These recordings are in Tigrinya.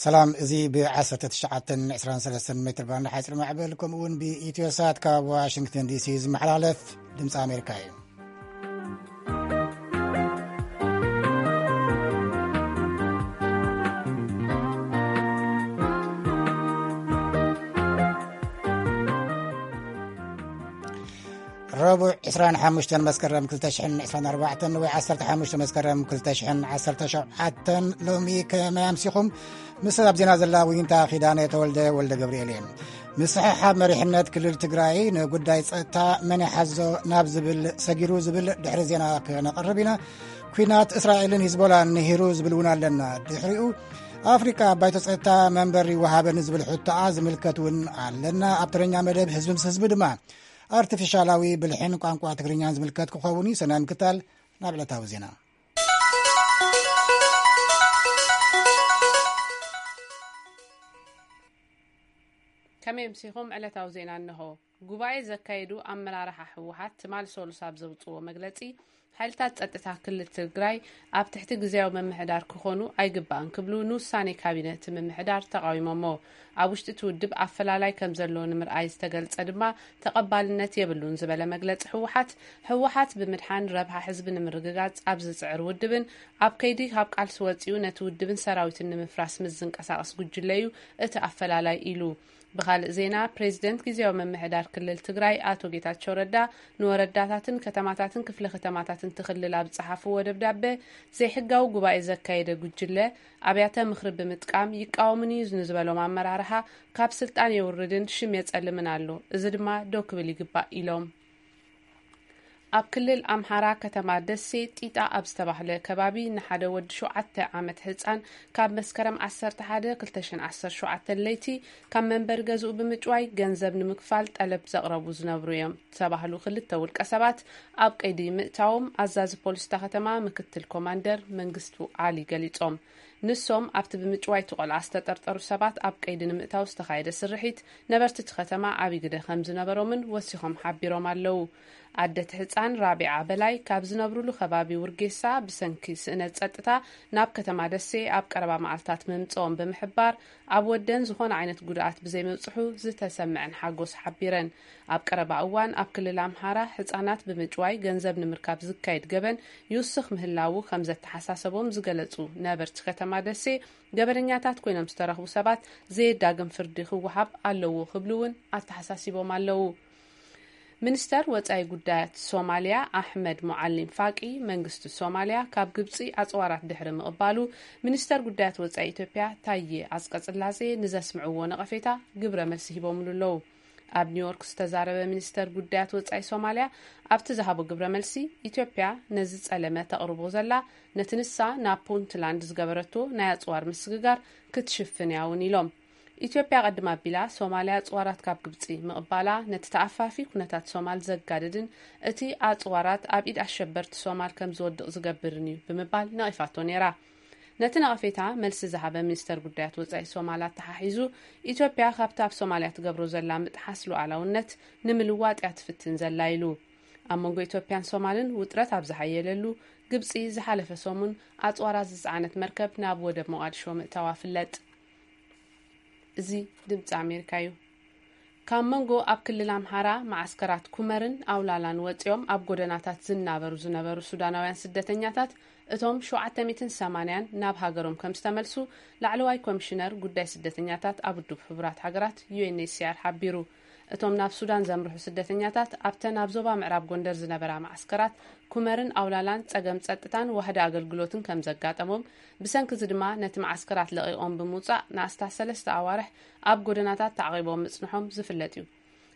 ሰላም፣ እዚ ብ19 23 ሜትር ባንድ ሓፂር ማዕበል ከምኡ እውን ብኢትዮ ሳት ካብ ዋሽንግተን ዲሲ ዝመሓላለፍ ድምፂ ኣሜሪካ እዩ። ረቡዕ ዕስራን ሓሙሽተን መስከረም ክልተ ሽሕን ዕስራን ኣርባዕተን ወይ ዓሰርተ ሓሙሽተ መስከረም ክልተ ሽሕን ዓሰርተ ሸውዓተን ሎሚ ከመይ ኣምሲኹም? ምስ ኣብ ዜና ዘላ ዊንታ ኪዳነ ተወልደ ወልደ ገብርኤል እየ። ምስሕሓብ መሪሕነት ክልል ትግራይ ንጉዳይ ጸጥታ መን ይሓዞ ናብ ዝብል ሰጊሩ ዝብል ድሕሪ ዜና ክነቕርብ ኢና። ኲናት እስራኤልን ሂዝቦላን ንሂሩ ዝብል እውን ኣለና። ድሕሪኡ ኣፍሪቃ ኣብ ባይቶ ጸጥታ መንበር ይወሃበኒ ዝብል ሕቶኣ ዝምልከት እውን ኣለና። ኣብ ተረኛ መደብ ህዝቢ ምስ ህዝቢ ድማ ኣርቲፊሻላዊ ብልሕን ቋንቋ ትግርኛን ዝምልከት ክኸውን እዩ። ሰናይ ምክታል ናብ ዕለታዊ ዜና። ከመይ ኣምሲኹም? ዕለታዊ ዜና እንሆ። ጉባኤ ዘካየዱ ኣመራርሓ ህወሓት ትማል ሰሉስ ኣብ ዘውፅዎ መግለፂ፣ ሓይልታት ጸጥታ ክልል ትግራይ ኣብ ትሕቲ ግዝያዊ ምምሕዳር ክኾኑ ኣይግባእን ክብሉ ንውሳኔ ካቢነ እቲ ምምሕዳር ተቓዊሞሞ። ኣብ ውሽጢ እቲ ውድብ ኣፈላላይ ከም ዘሎ ንምርኣይ ዝተገልጸ ድማ ተቐባልነት የብሉን ዝበለ መግለጺ ህወሓት፣ ህወሓት ብምድሓን ረብሓ ህዝቢ ንምርግጋጽ ኣብ ዝጽዕር ውድብን ኣብ ከይዲ ካብ ቃልሲ ወጺኡ ነቲ ውድብን ሰራዊትን ንምፍራስ ምስ ዝንቀሳቐስ ጉጅለ እዩ እቲ ኣፈላላይ ኢሉ። ብኻልእ ዜና፣ ፕሬዚደንት ግዝያዊ ምምሕዳር ክልል ትግራይ ኣቶ ጌታቸው ረዳ ንወረዳታትን ከተማታትን ክፍለ ከተማታትን እቲ ክልል ኣብ ዝጸሓፍዎ ደብዳበ፣ ዘይሕጋዊ ጉባኤ ዘካየደ ጉጅለ ኣብያተ ምኽሪ ብምጥቃም ይቃወሙኒ ንዝበሎም ኣመራርሓ ካብ ስልጣን የውርድን ሽም የጸልምን ኣሎ። እዚ ድማ ደው ክብል ይግባእ ኢሎም። ኣብ ክልል ኣምሓራ ከተማ ደሴ ጢጣ ኣብ ዝተባህለ ከባቢ ንሓደ ወዲ ሸውዓተ ዓመት ህጻን ካብ መስከረም ዓሰርተ ሓደ ክልተ ሽሕን ዓሰርተ ሸውዓተን ለይቲ ካብ መንበሪ ገዝኡ ብምጭዋይ ገንዘብ ንምክፋል ጠለብ ዘቕረቡ ዝነብሩ እዮም ዝተባህሉ ክልተ ውልቀ ሰባት ኣብ ቀይዲ ምእታዎም ኣዛዚ ፖሊስ እታ ከተማ ምክትል ኮማንደር መንግስቱ ዓሊ ገሊጾም። ንሶም ኣብቲ ብምጭዋይ እቲ ቆልዓ ዝተጠርጠሩ ሰባት ኣብ ቀይዲ ንምእታው ዝተኻየደ ስርሒት ነበርቲ እቲ ከተማ ዓብዪ ግደ ከም ዝነበሮምን ወሲኾም ሓቢሮም ኣለዉ። ኣደ እቲ ህጻን ራቢዓ በላይ ካብ ዝነብሩሉ ከባቢ ውርጌሳ ብሰንኪ ስእነት ጸጥታ ናብ ከተማ ደሴ ኣብ ቀረባ መዓልታት ምምጽኦም ብምሕባር፣ ኣብ ወደን ዝኾነ ዓይነት ጉድኣት ብዘይምብጽሑ ዝተሰምዐን ሓጎስ ሓቢረን። ኣብ ቀረባ እዋን ኣብ ክልል ኣምሓራ ህጻናት ብምጭዋይ ገንዘብ ንምርካብ ዝካየድ ገበን ይውስኽ ምህላዉ ከም ዘተሓሳሰቦም ዝገለጹ ነበርቲ ከተማ ደሴ፣ ገበነኛታት ኮይኖም ዝተረኽቡ ሰባት ዘየዳግም ፍርዲ ክወሃብ ኣለዎ ክብሉ እውን ኣተሓሳሲቦም ኣለዉ። ሚኒስተር ወጻኢ ጉዳያት ሶማልያ ኣሕመድ ሙዓሊም ፋቂ፣ መንግስቲ ሶማልያ ካብ ግብጺ ኣጽዋራት ድሕሪ ምቕባሉ፣ ሚኒስተር ጉዳያት ወጻኢ ኢትዮጵያ ታዬ ኣጽቀጽላሴ ንዘስምዕዎ ነቐፌታ ግብረ መልሲ ሂቦምሉ ኣለዉ። ኣብ ኒውዮርክ ዝተዛረበ ሚኒስተር ጉዳያት ወጻኢ ሶማልያ ኣብቲ ዝሃቦ ግብረ መልሲ፣ ኢትዮጵያ ነዚ ጸለመ ተቕርቦ ዘላ፣ ነቲ ንሳ ናብ ፑንትላንድ ዝገበረቶ ናይ ኣጽዋር ምስግጋር ክትሽፍን እያ እውን ኢሎም። ኢትዮጵያ ቀድም ኣቢላ ሶማልያ ኣጽዋራት ካብ ግብጺ ምቕባላ ነቲ ተኣፋፊ ኩነታት ሶማል ዘጋድድን እቲ ኣጽዋራት ኣብ ኢድ ኣሸበርቲ ሶማል ከም ዝወድቕ ዝገብርን እዩ ብምባል ነቒፋቶ ነይራ። ነቲ ነቐፌታ መልሲ ዝሃበ ሚኒስተር ጉዳያት ወጻኢ ሶማል ኣተሓሒዙ፣ ኢትዮጵያ ካብቲ ኣብ ሶማልያ ትገብሮ ዘላ ምጥሓስ ሉዓላውነት ንምልዋጥ እያ ትፍትን ዘላ ኢሉ። ኣብ መንጎ ኢትዮጵያን ሶማልን ውጥረት ኣብ ዝሓየለሉ፣ ግብጺ ዝሓለፈ ሰሙን ኣጽዋራት ዝጸዓነት መርከብ ናብ ወደብ ሞቓዲሾ ምእታዋ ፍለጥ። እዚ ድምጺ ኣሜሪካ እዩ። ካብ መንጎ ኣብ ክልል ኣምሓራ መዓስከራት ኩመርን ኣውላላን ወጺኦም ኣብ ጎደናታት ዝናበሩ ዝነበሩ ሱዳናውያን ስደተኛታት፣ እቶም ሸውዓተ ሚእትን ሰማንያን ናብ ሃገሮም ከም ዝተመልሱ ላዕለዋይ ኮሚሽነር ጉዳይ ስደተኛታት ኣብ ውድብ ሕቡራት ሃገራት፣ ዩ ኤን ኤች ሲ ኣር፣ ሓቢሩ። እቶም ናብ ሱዳን ዘምርሑ ስደተኛታት ኣብተን ኣብ ዞባ ምዕራብ ጎንደር ዝነበራ መዓስከራት ኩመርን ኣውላላን ጸገም ጸጥታን ዋህዲ ኣገልግሎትን ከም ዘጋጠሞም፣ ብሰንኪ እዚ ድማ ነቲ መዓስከራት ለቒቖም ብምውጻእ ንኣስታት ሰለስተ ኣዋርሕ ኣብ ጎደናታት ተዓቒቦም ምጽንሖም ዝፍለጥ እዩ።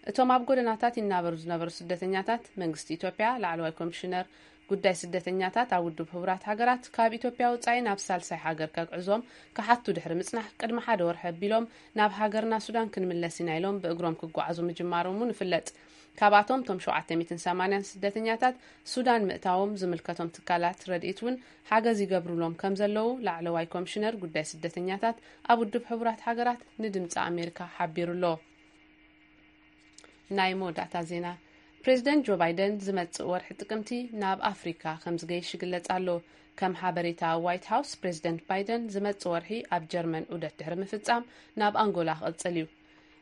እቶም ኣብ ጎደናታት ይናበሩ ዝነበሩ ስደተኛታት፣ መንግስቲ ኢትዮጵያ ላዕለዋይ ኮሚሽነር ጉዳይ ስደተኛታት ኣብ ውድብ ሕቡራት ሃገራት ካብ ኢትዮጵያ ወጻኢ ናብ ሳልሳይ ሃገር ከግዕዞም ክሓቱ ድሕሪ ምጽናሕ፣ ቅድሚ ሓደ ወርሒ ኣቢሎም ናብ ሃገርና ሱዳን ክንምለስ ኢና ኢሎም ብእግሮም ክጓዓዙ ምጅማሮም እውን ይፍለጥ። ካብኣቶም እቶም ሸውዓተ ሚእትን ሰማንያን ስደተኛታት ሱዳን ምእታዎም ዝምልከቶም ትካላት ረድኤት እውን ሓገዝ ይገብሩሎም ከም ዘለዉ ላዕለዋይ ኮሚሽነር ጉዳይ ስደተኛታት ኣብ ውድብ ሕቡራት ሃገራት ንድምፂ ኣሜሪካ ሓቢሩ ኣሎ። ናይ መወዳእታ ዜና። ፕሬዚደንት ጆ ባይደን ዝመጽእ ወርሒ ጥቅምቲ ናብ ኣፍሪካ ከም ዝገይሽ ይግለጽ ኣሎ። ከም ሓበሬታ ዋይት ሃውስ፣ ፕሬዚደንት ባይደን ዝመጽእ ወርሒ ኣብ ጀርመን ዑደት ድሕሪ ምፍጻም ናብ ኣንጎላ ክቕጽል እዩ።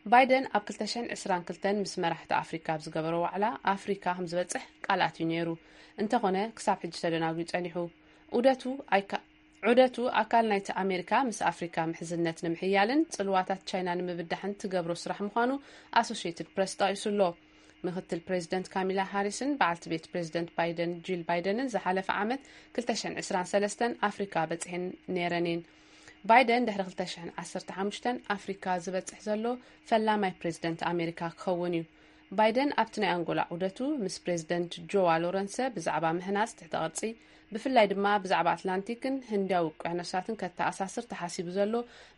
ባይደን ኣብ ክልተ ሽሕን ዕስራን ክልተን ምስ መራሕቲ ኣፍሪካ ኣብ ዝገበሮ ዋዕላ ኣፍሪካ ከም ዝበጽሕ ቃል ኣትዩ ነይሩ። እንተኾነ ክሳብ ሕጂ ተደናጉዩ ጸኒሑ። ዑደቱ ኣይካ ዑደቱ ኣካል ናይቲ ኣሜሪካ ምስ ኣፍሪካ ምሕዝነት ንምሕያልን ጽልዋታት ቻይና ንምብዳሕን ትገብሮ ስራሕ ምዃኑ ኣሶሽየትድ ፕረስ ጠቒሱ ኣሎ። ምክትል ፕሬዚደንት ካሚላ ሃሪስን በዓልቲ ቤት ፕሬዚደንት ባይደን ጂል ባይደንን ዝሓለፈ ዓመት ክልተ ሽሕን ዕስራን ሰለስተን ኣፍሪካ በጺሐን ነይረን እየን። ባይደን ድሕሪ ክልተ ሽሕን ዓሰርተ ሓሙሽተን ኣፍሪካ ዝበጽሕ ዘሎ ፈላማይ ፕሬዚደንት ኣሜሪካ ክኸውን እዩ። ባይደን ኣብቲ ናይ ኣንጎላ ዑደቱ ምስ ፕሬዚደንት ጆዋ ሎረንሰ ብዛዕባ ምህናጽ ትሕተ ቅርጺ፣ ብፍላይ ድማ ብዛዕባ ኣትላንቲክን ህንዳዊ ውቅያኖሳትን ከተኣሳስር ተሓሲቡ ዘሎ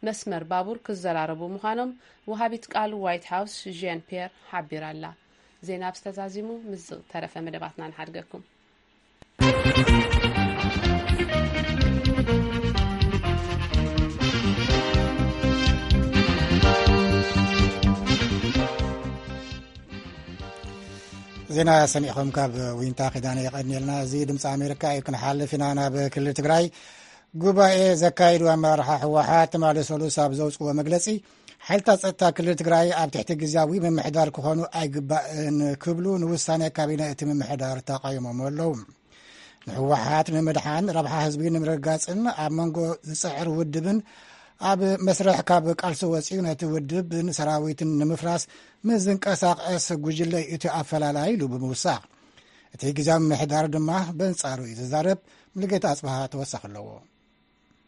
መስመር ባቡር ክዘራረቡ ምዃኖም ወሃቢት ቃል ዋይት ሃውስ ዥያን ፒየር ሓቢራ ኣላ። ዜና ብዝተዛዚሙ ምስ ዝተረፈ መደባትና ንሓድገኩም። ዜና ሰሚዕኹም ካብ ዊንታ ኪዳነ የቐንየልና። እዚ ድምፂ ኣሜሪካ እዩ። ክንሓልፍ ኢና ናብ ክልል ትግራይ። ጉባኤ ዘካየዱ ኣመራርሓ ህወሓት ትማሊ ሰሉስ ኣብ ዘውፅዎ መግለፂ፣ ሓይልታት ፀጥታ ክልል ትግራይ ኣብ ትሕቲ ግዝያዊ ምምሕዳር ክኾኑ ኣይግባእን ክብሉ ንውሳኔ ካቢነ እቲ ምምሕዳር ተቃይሞም ኣለዉ። ንህወሓት ንምድሓን፣ ረብሓ ህዝቢ ንምርግጋፅን ኣብ መንጎ ዝፅዕር ውድብን ኣብ መስርሕ ካብ ቃልሲ ወፂኡ ነቲ ውድብን ሰራዊትን ንምፍራስ ምስ ዝንቀሳቐስ ጉጅለ እዩ እቲ ኣፈላላይ ኢሉ ብምውሳኽ፣ እቲ ግዝያዊ ምምሕዳር ድማ በንጻሩ እዩ ዝዛረብ። ሙሉጌታ ኣጽብሃ ተወሳኺ ኣለዎ።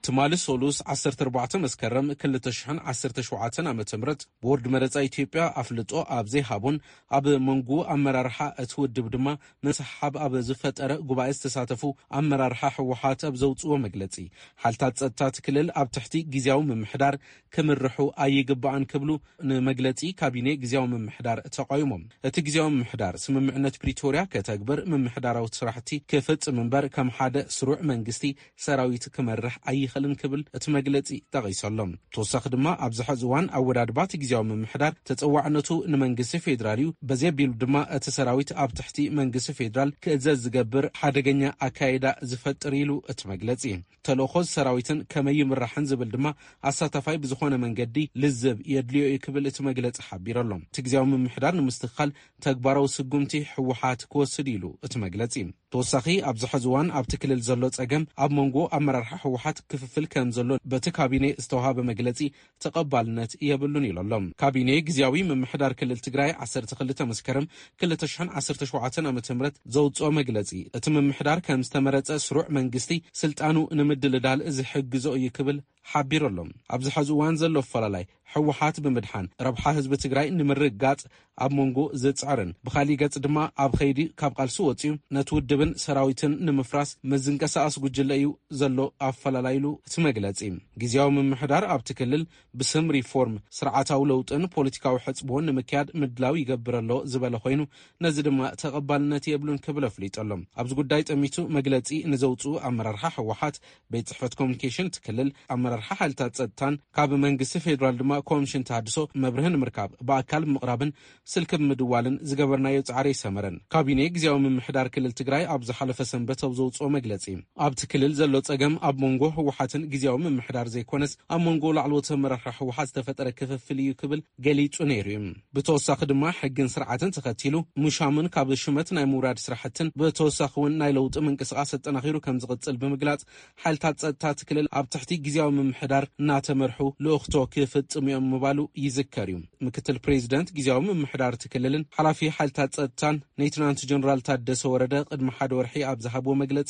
ትማሊ ሶሉስ ዓሰርተ ኣርባዕተ መስከረም ክልተ ሽሕን ዓሰርተ ሸውዓተን ዓመተ ምህረት ቦርድ መረጻ ኢትዮጵያ ኣፍልጦ ኣብ ዘይሃቦን ኣብ መንጎ ኣመራርሓ እቲ ውድብ ድማ ምስሕሓብ ኣብ ዝፈጠረ ጉባኤ ዝተሳተፉ ኣመራርሓ ህወሓት ኣብ ዘውፅዎ መግለፂ፣ ሓይልታት ፀጥታ እቲ ክልል ኣብ ትሕቲ ግዝያዊ ምምሕዳር ክምርሑ ኣይግባእን ክብሉ ንመግለፂ ካቢኔ ግዝያዊ ምምሕዳር ተቃይሞም። እቲ ግዝያዊ ምምሕዳር ስምምዕነት ፕሪቶርያ ከተግብር፣ ምምሕዳራዊ ስራሕቲ ክፍፅም እምበር ከም ሓደ ስሩዕ መንግስቲ ሰራዊት ክመርሕ ኣይኽእልን ክብል እቲ መግለፂ ጠቒሱ ኣሎ። ተወሳኺ ድማ ኣብዚ ሕዚ እዋን ኣወዳድባ እቲ ግዝያዊ ምምሕዳር ተፀዋዕነቱ ንመንግስቲ ፌዴራል እዩ፣ በዚ ኣቢሉ ድማ እቲ ሰራዊት ኣብ ትሕቲ መንግስቲ ፌዴራል ክእዘዝ ዝገብር ሓደገኛ ኣካይዳ ዝፈጥር ኢሉ እቲ መግለፂ። ተልእኾ ሰራዊትን ከመይ ይምራሕን ዝብል ድማ ኣሳታፋይ ብዝኾነ መንገዲ ልዝብ የድልዮ እዩ ክብል እቲ መግለፂ ሓቢሩ ኣሎ። እቲ ግዝያዊ ምምሕዳር ንምስትኽኻል ተግባራዊ ስጉምቲ ህወሓት ክወስድ ኢሉ እቲ መግለፂ። ተወሳኺ ኣብዚ ሕዚ እዋን ኣብቲ ክልል ዘሎ ፀገም ኣብ መንጎ ኣመራርሓ ህወሓት ክፍፍል ከም ዘሎ በቲ ካቢኔ ዝተውሃበ መግለፂ ተቐባልነት የብሉን ኢሉ ኣሎ። ካቢኔ ግዝያዊ ምምሕዳር ክልል ትግራይ ዓሰርተ ክልተ መስከረም ክልተ ሽሕን ዓሰርተ ሸውዓተን ዓመተ ምህረት ዘውፅኦ መግለፂ፣ እቲ ምምሕዳር ከም ዝተመረፀ ስሩዕ መንግስቲ ስልጣኑ ንምድልዳል ዝሕግዞ እዩ ክብል ሓቢሩ ኣሎ። ኣብዚ ሕዚ እዋን ዘሎ ኣፈላላይ ህወሓት ብምድሓን ረብሓ ህዝቢ ትግራይ ንምርግጋፅ ኣብ መንጎ ዝፅዕርን ብኻሊእ ገፅ ድማ ኣብ ኸይዲ ካብ ቃልሲ ወፂኡ ነቲ ውድብን ሰራዊትን ንምፍራስ ምስ ዝንቀሳቐስ ጉጅለ እዩ ዘሎ ኣፈላላይ ኢሉ እቲ መግለፂ። ግዝያዊ ምምሕዳር ኣብቲ ክልል ብስም ሪፎርም፣ ስርዓታዊ ለውጥን ፖለቲካዊ ሕፅቦን ንምክያድ ምድላው ይገብር ኣሎ ዝበለ ኮይኑ፣ ነዚ ድማ ተቐባልነት የብሉን ክብል ኣፍሊጡ ኣሎ። ኣብዚ ጉዳይ ጠሚቱ መግለፂ ንዘውፅኡ ኣመራርሓ ህወሓት፣ ቤት ፅሕፈት ኮሚኒኬሽን እቲ ክልል፣ ኣመራርሓ ሓይልታት ፀጥታን ካብ መንግስቲ ፌዴራል ድማ ኮሚሽን ተሃድሶ መብርሂ ንምርካብ ብኣካል ብምቕራብን ስልኪ ብምድዋልን ዝገበርናዮ ፃዕሪ ኣይሰመረን። ካቢኔ ግዝያዊ ምምሕዳር ክልል ትግራይ ኣብ ዝሓለፈ ሰንበት ኣብ ዘውፅኦ መግለፂ፣ ኣብቲ ክልል ዘሎ ፀገም ኣብ መንጎ ህወሓትን ግዝያዊ ምምሕዳር ዘይኮነስ ኣብ መንጎ ላዕለዎት ኣመራርሓ ህወሓት ዝተፈጠረ ክፍፍል እዩ ክብል ገሊፁ ነይሩ እዩ። ብተወሳኺ ድማ ሕግን ስርዓትን ተኸቲሉ ምሻምን ካብ ሽመት ናይ ምውራድ ስራሕትን ብተወሳኺ እውን ናይ ለውጢ ምንቅስቓስ ኣጠናኺሩ ከም ዝቕፅል ብምግላፅ፣ ሓይልታት ፀጥታ እቲ ክልል ኣብ ትሕቲ ግዝያዊ ምምሕዳር እናተመርሑ ልኡኽቶ ክፍፅሙ እዮም ምባሉ ይዝከር እዩ። ምክትል ፕሬዚደንት ግዝያዊ ምምሕዳር እቲ ክልልን ሓላፊ ሓይልታት ፀጥታን ሌተናንት ጀነራል ታደሰ ወረደ ቅድሚ ሓደ ወርሒ ኣብ ዝሃብዎ መግለፂ፣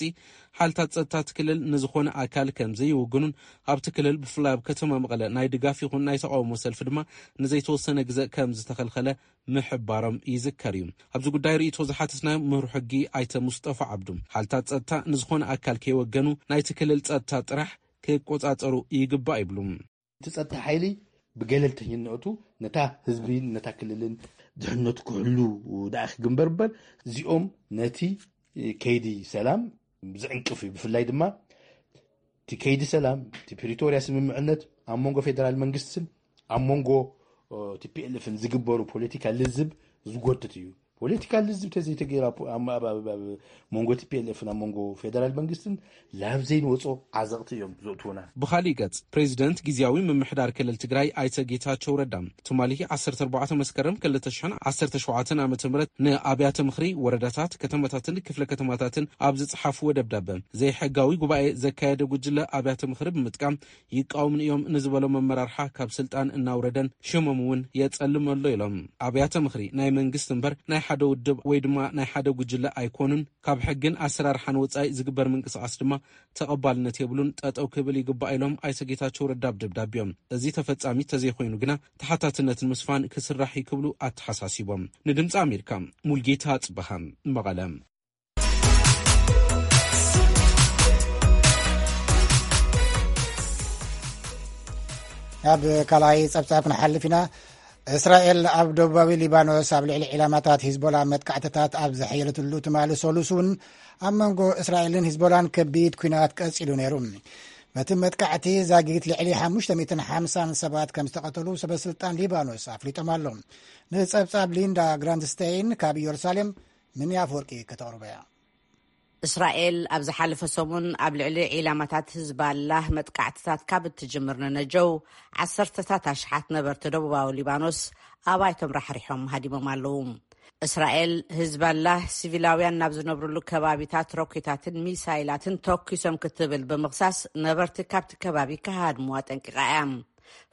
ሓይልታት ፀጥታ እቲ ክልል ንዝኾነ ኣካል ከም ዘይውግኑን ኣብቲ ክልል ብፍላይ ኣብ ከተማ መቐለ ናይ ድጋፍ ይኹን ናይ ተቓውሞ ሰልፊ ድማ ንዘይተወሰነ ግዘ ከም ዝተኸልኸለ ምሕባሮም ይዝከር እዩ። ኣብዚ ጉዳይ ርእይቶ ዝሓተትናዮም ምሁር ሕጊ ኣይተ ሙስጠፋ ዓብዱ፣ ሓይልታት ፀጥታ ንዝኾነ ኣካል ከይወገኑ ናይቲ ክልል ፀጥታ ጥራሕ ክቆፃፀሩ ይግባእ ይብሉ። እቲ ጸጥታ ሓይሊ ብገለልተኝነቱ ነታ ህዝብን ነታ ክልልን ድሕነቱ ክሕሉ ደኣ ክግንበር እምበር፣ እዚኦም ነቲ ከይዲ ሰላም ዝዕንቅፍ እዩ። ብፍላይ ድማ እቲ ከይዲ ሰላም፣ እቲ ፕሪቶርያ ስምምዕነት ኣብ መንጎ ፌደራል መንግስትን ኣብ መንጎ ቲፒኤልኤፍን ዝግበሩ ፖለቲካ ልዝብ ዝጎትት እዩ። ፖለቲካል ልዝብ ተዘይተገይራ ኣብ መንጎ ቲ ፒ ኤል ኤፍ ናብ መንጎ ፌደራል መንግስትን ላብ ዘይንወፆ ዓዘቕቲ እዮም ዘእትውና። ብኻሊእ ገጽ፣ ፕሬዚደንት ግዝያዊ ምምሕዳር ክልል ትግራይ ኣይተ ጌታቸው ረዳ ትማሊ ዓሰርተ ኣርባዕተ መስከረም ክልተ ሽሕን ዓሰርተ ሸውዓተን ዓመተ ምህረት ንኣብያተ ምኽሪ ወረዳታት፣ ከተማታትን ክፍለ ከተማታትን ኣብ ዝጸሓፍዎ ደብዳበ፣ ዘይሕጋዊ ጉባኤ ዘካየደ ጉጅለ ኣብያተ ምኽሪ ብምጥቃም ይቃወሙን እዮም ንዝበሎም ኣመራርሓ ካብ ስልጣን እናውረደን ሽሞም እውን የጸልም ኣሎ ኢሎም። ኣብያተ ምኽሪ ናይ መንግስቲ እምበር ናይ ሓደ ውድብ ወይ ድማ ናይ ሓደ ጉጅለ ኣይኮኑን፣ ካብ ሕግን ኣሰራርሓን ወጻኢ ዝግበር ምንቅስቓስ ድማ ተቐባልነት የብሉን፣ ጠጠው ክብል ይግባእ ኢሎም ኣይተ ጌታቸው ረዳ ኣብ ደብዳቤኦም። እዚ ተፈጻሚ ተዘይኮይኑ ግና ተሓታትነትን ምስፋን ክስራሕ እዩ ክብሉ ኣተሓሳሲቦም። ንድምፂ ኣሜሪካ ሙልጌታ ጽበሃ መቐለ። ኣብ ካልኣይ ጸብጻብ ክንሓልፍ ኢና። እስራኤል ኣብ ደቡባዊ ሊባኖስ ኣብ ልዕሊ ዒላማታት ሂዝቦላ መጥቃዕትታት ኣብ ዘሐየለትሉ ትማሊ ሰሉስ እውን ኣብ መንጎ እስራኤልን ሂዝቦላን ከቢድ ኲናት ቀጺሉ ነይሩ። በቲ መጥቃዕቲ ዛጊት ልዕሊ ሓሙሽተ ሚእትን ሓምሳን ሰባት ከም ዝተቐተሉ ሰበ ስልጣን ሊባኖስ ኣፍሊጦም ኣሎ። ንጸብጻብ ሊንዳ ግራንድስቴይን ካብ ኢየሩሳሌም ምንያ ኣፈወርቂ ከተቕርቦ እያ። እስራኤል ኣብ ዝሓለፈ ሰሙን ኣብ ልዕሊ ዒላማታት ህዝባላህ መጥቃዕትታት ካብ እትጅምር ንነጀው፣ ዓሰርተታት ኣሽሓት ነበርቲ ደቡባዊ ሊባኖስ ኣባይቶም ራሕሪሖም ሃዲሞም ኣለዉ። እስራኤል፣ ህዝባላህ ሲቪላውያን ናብ ዝነብርሉ ከባቢታት ሮኬታትን ሚሳይላትን ተኩሶም ክትብል ብምኽሳስ፣ ነበርቲ ካብቲ ከባቢ ክሃድሙ ኣጠንቂቓ እያ።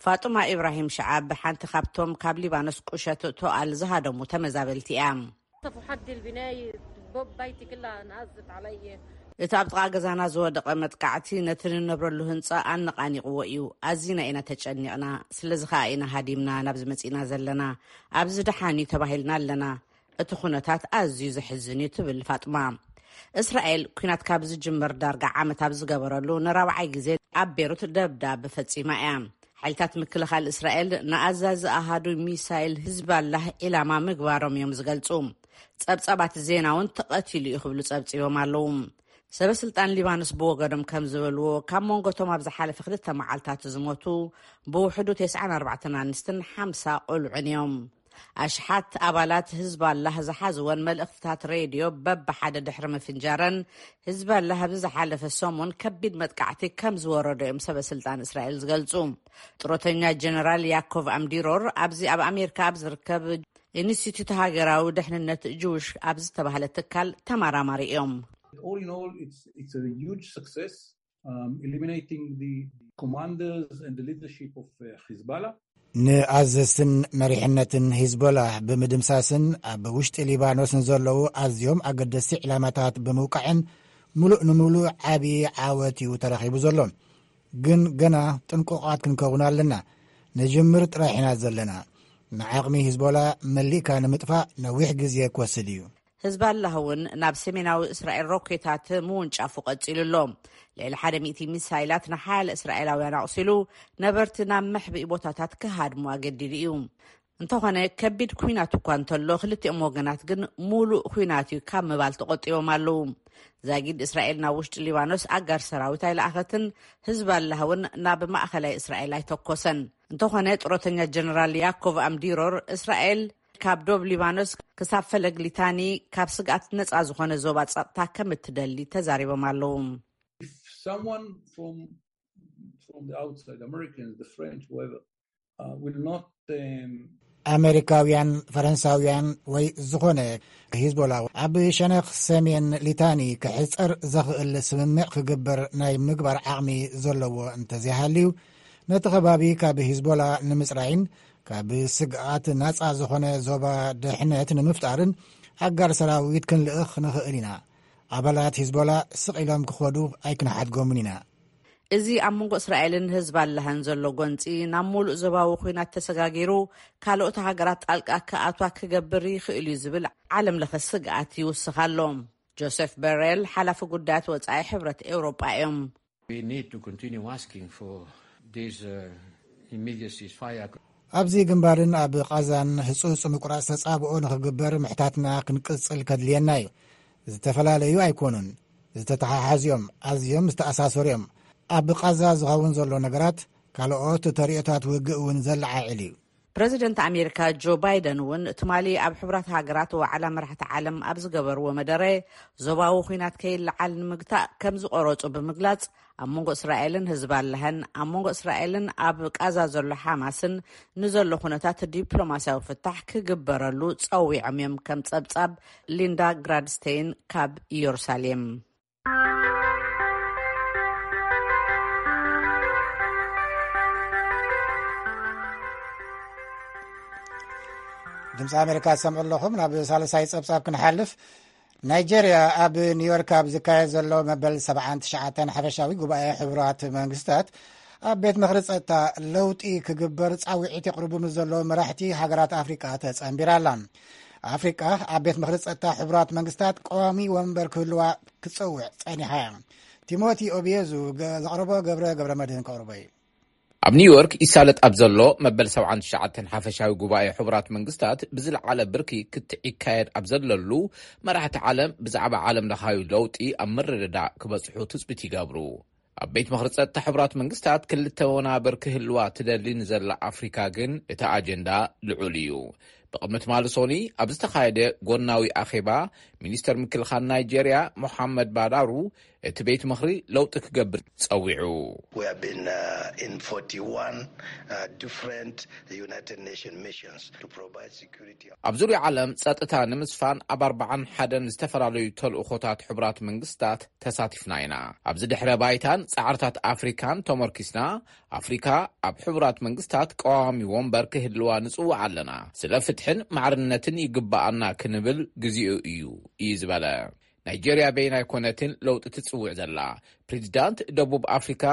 ፋጡማ ኢብራሂም ሸዓብ ሓንቲ ካብቶም ካብ ሊባኖስ ቁሸት ቶኣል ዝሃደሙ ተመዛበልቲ እያ። سفحت البناية، باب بيتي كلها انهزت علي. እቲ ኣብ ጥቓ ገዛና ዝወደቐ መጥቃዕቲ ነቲ ንነብረሉ ህንጻ ኣነቓኒቕዎ እዩ። ኣዚና ኢና ተጨኒቕና። ስለዚ ኸኣ ኢና ሃዲምና ናብዚ መጺእና ዘለና። ኣብዚ ደሓን እዩ ተባሂልና ኣለና። እቲ ኩነታት ኣዝዩ ዘሕዝን እዩ፣ ትብል ፋጥማ። እስራኤል ኲናት ካብ ዝጅምር ዳርጋ ዓመት ኣብ ዝገበረሉ ንራብዓይ ግዜ ኣብ ቤሩት ደብዳብ ፈጺማ እያ። ሓይልታት ምክልኻል እስራኤል ንኣዛዚ ኣሃዱ ሚሳይል ህዝባላህ ዒላማ ምግባሮም እዮም ዝገልጹ። ጸብጻባት ዜና እውን ተቐቲሉ እዩ ክብሉ ጸብጺቦም ኣለዉ። ሰበ ስልጣን ሊባኖስ ብወገኖም ከም ዝበልዎ፣ ካብ መንጎቶም ኣብ ዝሓለፈ ክልተ መዓልታት ዝሞቱ ብውሕዱ ተስዓን ኣርባዕተን ኣንስትን ሓምሳ ቆልዑን እዮም። ኣሽሓት ኣባላት ህዝባላህ ዝሓዝወን መልእኽትታት ሬድዮ በብሓደ ድሕሪ ምፍንጃረን፣ ህዝባላህ ኣብዚ ዝሓለፈ ሰሙን ከቢድ መጥቃዕቲ ከም ዝወረዶ እዮም ሰበ ስልጣን እስራኤል ዝገልጹ። ጥሮተኛ ጀነራል ያኮቭ ኣምዲሮር ኣብዚ ኣብ ኣሜሪካ ኣብ ዝርከብ ኢንስቲትዩት ሃገራዊ ድሕንነት ጅውሽ ኣብ ዝተባህለ ትካል ተመራማሪ እዮም። All in all, it's, it's a huge success, um, eliminating the commanders and the leadership of uh, Hezbollah. ንኣዘዝትን መሪሕነትን ሂዝቦላ ብምድምሳስን ኣብ ውሽጢ ሊባኖስ ንዘለዉ ኣዝዮም ኣገደስቲ ዕላማታት ብምውቃዕን፣ ምሉእ ንምሉእ ዓቢ ዓወት እዩ ተረኺቡ ዘሎ። ግን ገና ጥንቁቓት ክንከውን ኣለና። ንጅምር ጥራሕ ኢና ዘለና። ንዓቕሚ ሂዝቦላ መሊእካ ንምጥፋእ ነዊሕ ግዜ ክወስድ እዩ። ህዝባላህ እውን ናብ ሰሜናዊ እስራኤል ሮኬታት ምውንጫፉ ቀጺሉ ኣሎ። ልዕሊ ሓደ ሚእቲ ሚሳይላት ንሓያለ እስራኤላውያን ኣቑሲሉ፣ ነበርቲ ናብ መሕብኢ ቦታታት ክሃድሙ ኣገዲዱ እዩ። እንተኾነ፣ ከቢድ ኲናት እኳ እንተሎ፣ ክልቲኦም ወገናት ግን ሙሉእ ኲናት እዩ ካብ ምባል ተቖጢቦም ኣለዉ። ዛጊድ እስራኤል ናብ ውሽጢ ሊባኖስ ኣጋር ሰራዊት ኣይለኣኸትን፣ ህዝባላህ እውን ናብ ማእኸላይ እስራኤል ኣይተኮሰን። እንተኾነ፣ ጥሮተኛ ጀነራል ያኮቭ ኣምዲሮር፣ እስራኤል ካብ ዶብ ሊባኖስ ክሳብ ፈለግ ሊታኒ ካብ ስግኣት ነጻ ዝኾነ ዞባ ጸጥታ ከም እትደሊ ተዛሪቦም ኣለዉ። If someone from, from the outside, Americans, the French, whoever, uh, will not, um, ኣመሪካውያን፣ ፈረንሳውያን ወይ ዝኾነ ሂዝቦላ ኣብ ሸነኽ ሰሜን ሊታኒ ክሕጸር ዘኽእል ስምምዕ ክግበር ናይ ምግባር ዓቕሚ ዘለዎ እንተዘይሃልዩ፣ ነቲ ከባቢ ካብ ሂዝቦላ ንምጽራይን ካብ ስግኣት ናጻ ዝኾነ ዞባ ድሕነት ንምፍጣርን ኣጋር ሰራዊት ክንልእኽ ንኽእል ኢና። ኣባላት ሂዝቦላ ስቕ ኢሎም ክኸዱ ኣይክንሓድጎምን ኢና። እዚ ኣብ መንጎ እስራኤልን ህዝባላህን ዘሎ ጎንጺ ናብ ሙሉእ ዞባዊ ኲናት ተሰጋጊሩ፣ ካልኦት ሃገራት ጣልቃ ክኣትዋ ክገብር ይኽእል እዩ ዝብል ዓለም ለኸ ስግኣት ይውስኽ ኣሎ። ጆሴፍ በሬል፣ ሓላፊ ጉዳያት ወጻኢ ሕብረት ኤውሮጳ እዮም። We need to continue asking for this, uh, immediate ceasefire. ኣብዚ ግንባርን ኣብ ቓዛን ህጹጽ ምቁራጽ ተጻብኦ ንኽግበር ምሕታትና ክንቅጽል ከድልየና እዩ። ዝተፈላለዩ ኣይኮኑን፣ ዝተተሓሓዙ እዮም፣ ኣዝዮም ዝተኣሳሰሩ እዮም። ኣብ ቓዛ ዝኸውን ዘሎ ነገራት ካልኦት ተርእዮታት ውግእ እውን ዘለዓዕል እዩ። ፕረዚደንት ኣሜሪካ ጆ ባይደን እውን ትማሊ ኣብ ሕቡራት ሃገራት ዋዕላ መራሕቲ ዓለም ኣብ ዝገበርዎ መደረ፣ ዞባዊ ኲናት ከይለዓል ንምግታእ ከም ዝቆረጹ ብምግላጽ፣ ኣብ መንጎ እስራኤልን ህዝባላህን፣ ኣብ መንጎ እስራኤልን ኣብ ቃዛ ዘሎ ሓማስን ንዘሎ ኩነታት ዲፕሎማስያዊ ፍታሕ ክግበረሉ ጸዊዖም እዮም። ከም ጸብጻብ ሊንዳ ግራድስቴይን ካብ ኢየሩሳሌም። ድምፂ ኣሜሪካ ትሰምዑ ኣለኹም። ናብ ሳልሳይ ጸብጻብ ክንሓልፍ፣ ናይጄርያ ኣብ ኒውዮርክ ኣብ ዝካየድ ዘሎ መበል ሰብዓን ትሽዓተን ሓፈሻዊ ጉባኤ ሕቡራት መንግስታት ኣብ ቤት ምኽሪ ጸጥታ ለውጢ ክግበር ጻውዒት የቕርቡ ምስ ዘለዉ መራሕቲ ሃገራት ኣፍሪቃ ተጸንቢራ ኣላ። ኣፍሪቃ ኣብ ቤት ምኽሪ ጸጥታ ሕቡራት መንግስታት ቀዋሚ ወንበር ክህልዋ ክትጸውዕ ጸኒሓ እያ። ቲሞቲ ኦብየዙ ገ- ዘቕረቦ ገብረ ገብረ መድህን ከቕርቦ እዩ። ኣብ ኒውዮርክ ይሳለጥ ኣብ ዘሎ መበል ሰብዓን ትሽዓተን ሓፈሻዊ ጉባኤ ሕቡራት መንግስታት ብዝለዓለ ብርኪ ክትዕ ይካየድ ኣብ ዘለሉ፣ መራሕቲ ዓለም ብዛዕባ ዓለም ለኻዊ ለውጢ ኣብ ምርድዳእ ክበጽሑ ትጽቢት ይገብሩ። ኣብ ቤት ምኽሪ ጸጥታ ሕቡራት መንግስታት ክልተ ወናብር ክህልዋ ትደሊ ንዘላ ኣፍሪካ ግን እቲ ኣጀንዳ ልዑል እዩ። ብቕድሚ ትማሊ ሶኒ ኣብ ዝተኻየደ ጎናዊ ኣኼባ፣ ሚኒስተር ምክልኻል ናይጄርያ ሞሓመድ ባዳሩ እቲ ቤት ምኽሪ ለውጢ ክገብር ጸዊዑ። We have been uh, in forty-one uh, different United Nations missions to provide security. ኣብ ዙርያ ዓለም ጸጥታ ንምስፋን ኣብ ኣርባዓን ሓደን ዝተፈላለዩ ተልእኾታት ሕቡራት መንግስታት ተሳቲፍና ኢና። ኣብዚ ድሕረ ባይታን ጻዕርታት ኣፍሪካን ተመርኪስና፣ ኣፍሪካ ኣብ ሕቡራት መንግስታት ቀዋሚ ወንበር ክህልዋ ንጽውዕ ኣለና። ስለ ፍትሕን ማዕርነትን ይግብኣና ክንብል ግዜኡ እዩ እዩ ዝበለ። ናይጄርያ በይና ኣይኮነትን ለውጢ ትጽውዕ ዘላ። ፕሬዚዳንት ደቡብ ኣፍሪካ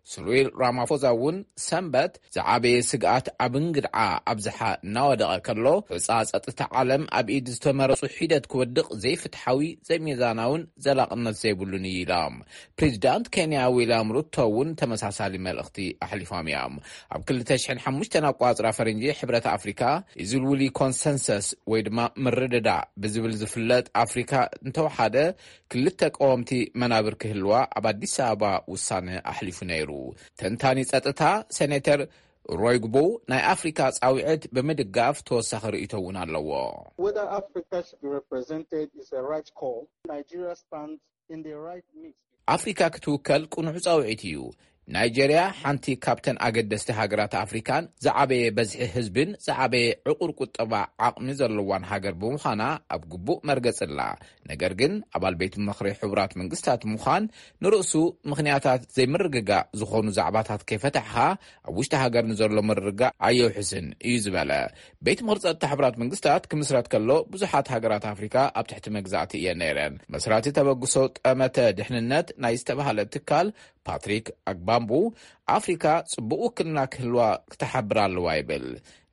ስሪል ራማፎዛ እውን ሰንበት ዝዓበየ ስግኣት ኣብ እንግድዓ ኣብዝሓ እናወደቐ ከሎ፣ ሑጻ ጸጥታ ዓለም ኣብ ኢድ ዝተመረጹ ሒደት ክወድቕ ዘይፍትሓዊ፣ ዘይሚዛናውን ዘላቕነት ዘይብሉን እዩ ኢሎም። ፕሬዚዳንት ኬንያ ዊልያም ሩቶ እውን ተመሳሳሊ መልእኽቲ ኣሕሊፎም እዮም። ኣብ ክልተ ሽሕን ሓሙሽተን ኣቋጽራ ፈረንጂ ሕብረት ኣፍሪካ ኢዝልውሊ ኮንሰንሰስ ወይ ድማ ምርድዳ ብዝብል ዝፍለጥ ኣፍሪካ እንተወሓደ ክልተ ቀወምቲ መናብር ክህልዋ ኣብ ኣዲስ ኣበባ ውሳነ ኣሕሊፉ ነይሩ። ተንታኒ ጸጥታ ሴኔተር ሮይግቦ ናይ ኣፍሪካ ጻውዒት ብምድጋፍ ተወሳኺ ርእይቶ እውን ኣለዎ። Whether Africa should be represented is a right call. Nigeria stands in the right mix. ኣፍሪካ ክትውከል ቅኑዕ ጻውዒት እዩ። ናይጄርያ ሓንቲ ካብተን ኣገደስቲ ሃገራት ኣፍሪካን ዝዓበየ በዝሒ ህዝብን ዝዓበየ ዕቑር ቁጠባ ዓቕሚ ዘለዋን ሃገር ብምዃና ኣብ ግቡእ መርገጽ ኣላ። ነገር ግን ኣባል ቤት ምኽሪ ሕቡራት መንግስታት ምዃን ንርእሱ ምኽንያታት ዘይምርግጋእ ዝኾኑ ዛዕባታት ከይፈታሕኻ ኣብ ውሽጢ ሃገር ንዘሎ ምርግጋእ ኣየውሕስን እዩ ዝበለ። ቤት ምኽሪ ጸጥታ ሕቡራት መንግስታት ክምስረት ከሎ ብዙሓት ሃገራት ኣፍሪካ ኣብ ትሕቲ መግዛእቲ እየን ነይረን። መስራቲ ተበግሶ ጠመተ ድሕንነት ናይ ዝተባህለ ትካል ፓትሪክ ኣግባምቡ ኣፍሪካ ጽቡቕ ውክልና ክህልዋ ክትሓብር ኣለዋ ይብል።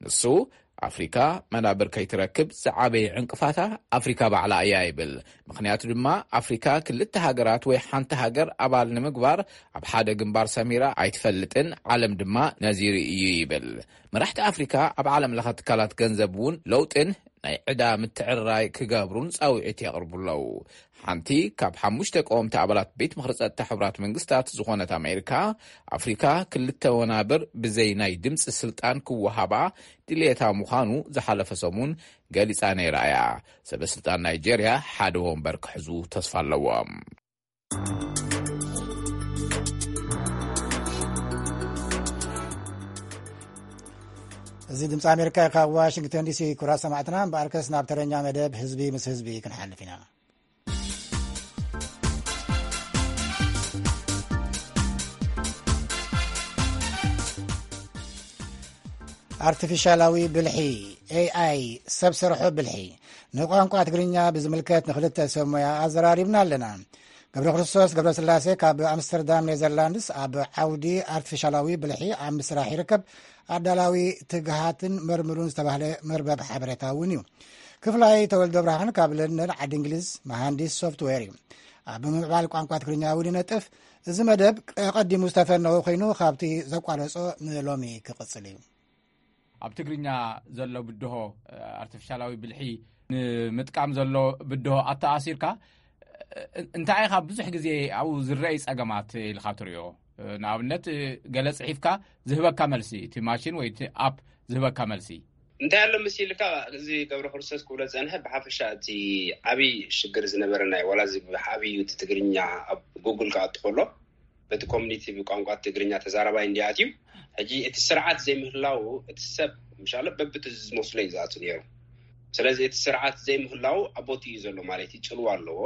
ንሱ ኣፍሪካ መናብር ከይትረክብ ዝዓበየ ዕንቅፋታ ኣፍሪካ ባዕላ እያ ይብል። ምኽንያቱ ድማ ኣፍሪካ ክልተ ሃገራት ወይ ሓንቲ ሃገር ኣባል ንምግባር ኣብ ሓደ ግንባር ሰሚራ ኣይትፈልጥን፣ ዓለም ድማ ነዚ ርእዩ ይብል። መራሕቲ ኣፍሪካ ኣብ ዓለም ለኸ ትካላት ገንዘብ እውን ለውጥን ናይ ዕዳ ምትዕርራይ ክገብሩን ጻውዒት የቕርቡ ኣለዉ። ሓንቲ ካብ ሓሙሽተ ቀወምቲ ኣባላት ቤት ምኽሪ ጸጥታ ሕቡራት መንግስታት ዝኾነት ኣሜሪካ፣ ኣፍሪካ ክልተ ወናብር ብዘይ ናይ ድምፂ ስልጣን ክወሃባ ድልየታ ምዃኑ ዝሓለፈ ሰሙን ገሊጻ ነይራ እያ። ሰበ ስልጣን ናይጄርያ ሓደ ወንበር ክሕዙ ተስፋ ኣለዎም። እዚ ድምፂ ኣሜሪካ እዩ። ካብ ዋሽንግተን ዲሲ። ክቡራት ሰማዕትና፣ እምበኣርከስ ናብ ተረኛ መደብ ህዝቢ ምስ ህዝቢ ክንሓልፍ ኢና። ኣርቲፊሻላዊ ብልሒ፣ ኤኣይ፣ ሰብ ሰርሖ ብልሒ፣ ንቋንቋ ትግርኛ ብዝምልከት ንክልተ ሰብ ሞያ ኣዘራሪብና ኣለና። ገብረ ክርስቶስ ገብረስላሴ ካብ ኣምስተርዳም ኔዘርላንድስ ኣብ ዓውዲ ኣርቲፊሻላዊ ብልሒ ኣብ ምስራሕ ይርከብ። ኣዳላዊ ትግሃትን መርምሩን ዝተባህለ መርበብ ሓበሬታ እውን እዩ። ክፍላይ ተወልደ ብርሃን ካብ ለንደን ዓዲ እንግሊዝ መሃንዲስ ሶፍትዌር እዩ። ኣብ ምምዕባል ቋንቋ ትግርኛ እውን ይነጥፍ። እዚ መደብ ቀዲሙ ዝተፈነወ ኮይኑ ካብቲ ዘቋረጾ ንሎሚ ክቕጽል እዩ። ኣብ ትግርኛ ዘሎ ብድሆ፣ ኣርቲፊሻላዊ ብልሒ ንምጥቃም ዘሎ ብድሆ ኣተኣሲርካ፣ እንታይ ኢኻ ብዙሕ ግዜ ኣብኡ ዝረኣይ ጸገማት ኢልካ ትሪኦ? ንኣብነት፣ ገለ ጽሒፍካ ዝህበካ መልሲ፣ እቲ ማሽን ወይ እቲ ኣፕ ዝህበካ መልሲ። እንታይ ኣሎ ምስ ኢልካ፣ እዚ ገብረ ክርስቶስ ክብሎ ዝጸንሐ፣ ብሓፈሻ እቲ ዓብዪ ሽግር ዝነበረ ናይ ዋላ እዚ ዓብዪ እቲ ትግርኛ ኣብ ጉግል ክኣቱ ከሎ፣ በቲ ኮሚኒቲ ብቋንቋ ትግርኛ ተዛራባይ እንዲኣትዩ፣ ሕጂ እቲ ስርዓት ዘይምህላው እቲ ሰብ ምሻለ በብቲ ዝመስሎ እዩ ዝኣቱ ነይሩ። ስለዚ እቲ ስርዓት ዘይምህላው ኣብ ቦቲ እዩ ዘሎ ማለት እዩ፣ ጽልዋ ኣለዎ።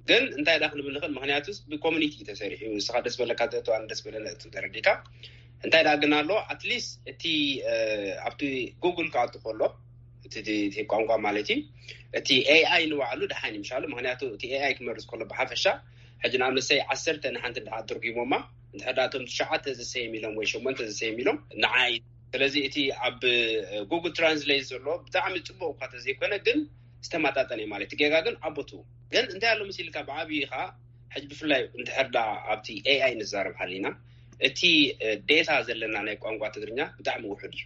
ግን እንታይ ዳ ክንብል ንኽእል? ምክንያቱስ ብኮሚኒቲ እዩ ተሰሪሑ። ንስኻ ደስ በለካ ተእቱ፣ ኣነ ደስ በለኒ እቱ፣ ተረዲካ። እንታይ ዳ ግን ኣሎ? ኣትሊስት እቲ ኣብቲ ጉግል ክኣቱ ከሎ፣ እቲ ቋንቋ ማለት እዩ፣ እቲ ኤኣይ ንባዕሉ ደሓን ይምሻሉ። ምክንያቱ እቲ ኤኣይ ክመርዝ ከሎ ብሓፈሻ፣ ሕጂ ንኣብነት ሰይ ዓሰርተ ንሓንቲ እንድሓ ትርጉሞማ፣ እንድሕር ዳቶም ትሽዓተ ዝሰየም ኢሎም ወይ ሸሞንተ ዝሰየም ኢሎም ንዓይ። ስለዚ እቲ ኣብ ጉግል ትራንስሌት ዘሎ ብጣዕሚ ጽቡቕ እኳ ተዘይኮነ፣ ግን ዝተመጣጠነ እዩ ማለት፣ ጌጋ ግን ኣብ ቦትኡ። ግን እንታይ ኣሎ መሲልካ፣ ብዓብዪ ኸዓ ሕጂ ብፍላይ እንድሕር ዳ ኣብቲ ኤኣይ ንዛረብ ሃሊና፣ እቲ ዴታ ዘለና ናይ ቋንቋ ትግርኛ ብጣዕሚ ውሑድ እዩ።